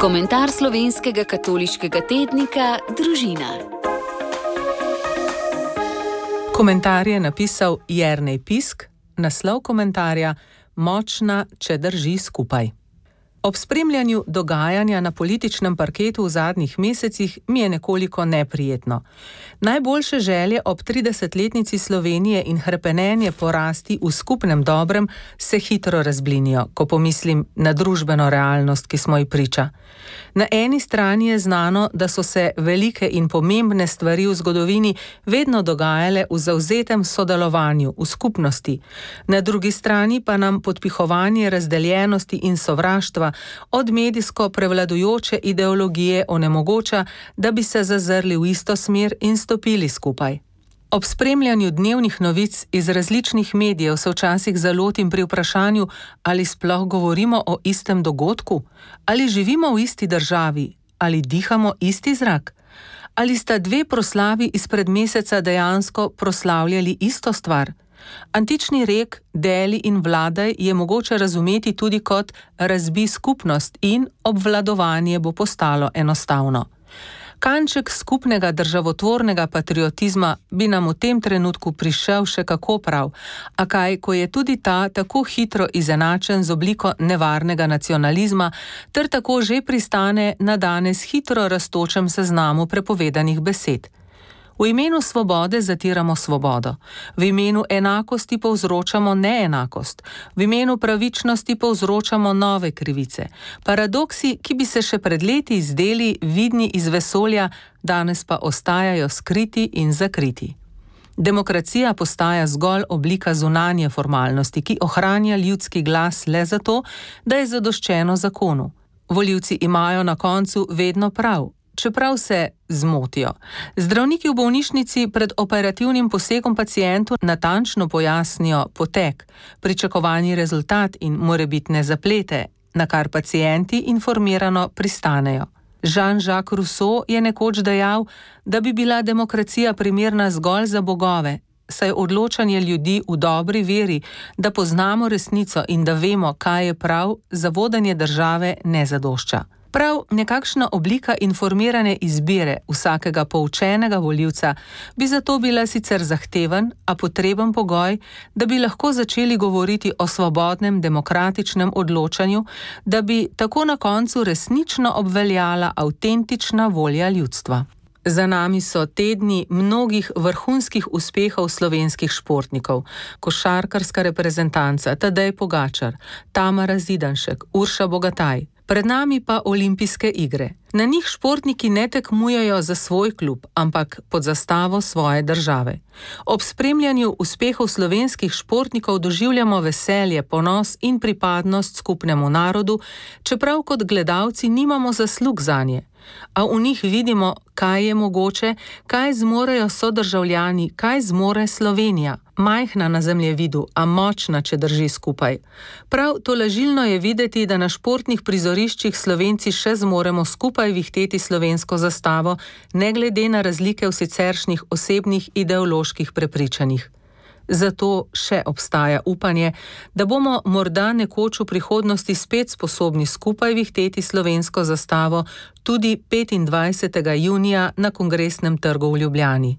Komentar slovenskega katoliškega tednika Družina. Komentar je napisal Jernej Pisk, naslov komentarja Močna, če drži skupaj. Ob spremljanju dogajanja na političnem parketu v zadnjih mesecih mi je nekoliko neprijetno. Najboljše želje ob 30-letnici Slovenije in hrepenenje po rasti v skupnem dobrem se hitro razblinijo, ko pomislim na družbeno realnost, ki smo ji priča. Na eni strani je znano, da so se velike in pomembne stvari v zgodovini vedno dogajale v zavzetem sodelovanju, v skupnosti. Na drugi strani pa nam podpihovanje razdeljenosti in sovraštva od medijsko prevladujoče ideologije onemogoča, da bi se zazrli v isto smer in stopili skupaj. Ob spremljanju dnevnih novic iz različnih medijev se včasih zalotim pri vprašanju, ali sploh govorimo o istem dogodku, ali živimo v isti državi, ali dihamo isti zrak, ali sta dve proslavi izpred meseca dejansko proslavljali isto stvar. Antični rek deli in vladaj je mogoče razumeti tudi kot razbi skupnost in obvladovanje bo postalo enostavno. Kanček skupnega državotvornega patriotizma bi nam v tem trenutku prišel še kako prav, a kaj, ko je tudi ta tako hitro izenačen z obliko nevarnega nacionalizma, ter tako že pristane na danes hitro rastočem seznamu prepovedanih besed. V imenu svobode zatiramo svobodo, v imenu enakosti povzročamo neenakost, v imenu pravičnosti povzročamo nove krivice. Paradoksi, ki bi se še pred leti zdeli vidni iz vesolja, danes pa ostajajo skriti in zakriti. Demokracija postaja zgolj oblika zunanje formalnosti, ki ohranja ljudski glas le zato, da je zadoščeno zakonu. Volivci imajo na koncu vedno prav, čeprav se zmotijo. Zdravniki v bolnišnici pred operativnim posegom pacientu natančno pojasnijo potek, pričakovani rezultat in morebitne zaplete, na kar pacienti informirano pristanejo. Jean-Jacques Rousseau je nekoč dejal, da bi bila demokracija primerna zgolj za bogove, saj odločanje ljudi v dobri veri, da poznamo resnico in da vemo, kaj je prav, za vodenje države ne zadošča. Prav nekakšna oblika informirane izbire vsakega poučenega volivca bi zato bila sicer zahteven, a potreben pogoj, da bi lahko začeli govoriti o svobodnem demokratičnem odločanju, da bi tako na koncu resnično obveljala avtentična volja ljudstva. Za nami so tedni mnogih vrhunskih uspehov slovenskih športnikov, košarkarska reprezentanca Tadej Pogačar, Tamara Zidanšek, Urša Bogataj. Pred nami pa olimpijske igre. Na njih športniki ne tekmujejo za svoj klub, ampak pod zastavo svoje države. Ob spremljanju uspehov slovenskih športnikov doživljamo veselje, ponos in pripadnost skupnemu narodu, čeprav kot gledalci nimamo zaslug zanje. A v njih vidimo, kaj je mogoče, kaj zmorejo sodržavljani, kaj zmore Slovenija. Majhna na zemljevidu, a močna, če drži skupaj. Prav tolažilno je videti, da na športnih prizoriščih Slovenci še zmoremo skupaj vihteti slovensko zastavo, ne glede na razlike v siceršnjih osebnih ideoloških prepričanjih. Zato še obstaja upanje, da bomo morda nekoč v prihodnosti spet sposobni skupaj vihteti slovensko zastavo tudi 25. junija na Kongresnem trgu v Ljubljani.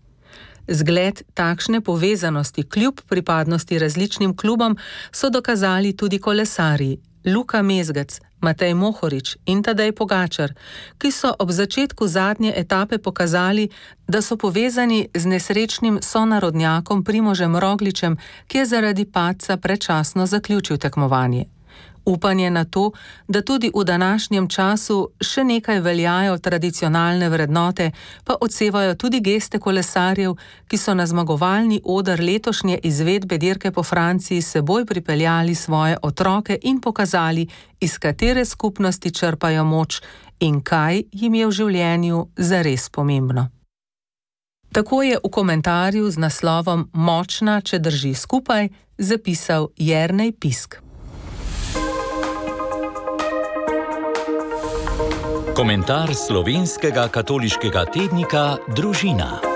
Zgled takšne povezanosti kljub pripadnosti različnim klubom so dokazali tudi kolesarji Luka Mezgec, Matej Mohorič in Tadej Pogačar, ki so ob začetku zadnje etape pokazali, da so povezani z nesrečnim sonarodnjakom Primožem Rogličem, ki je zaradi padca predčasno zaključil tekmovanje. Upanje na to, da tudi v današnjem času še nekaj veljajo tradicionalne vrednote, pa odsevajo tudi geste kolesarjev, ki so na zmagovalni oder letošnje izvedbe dirke po Franciji seboj pripeljali svoje otroke in pokazali, iz katere skupnosti črpajo moč in kaj jim je v življenju zares pomembno. Tako je v komentarju z naslovom Močna, če drži skupaj, zapisal Jernej Pisk. Komentar slovenskega katoliškega tednika Družina.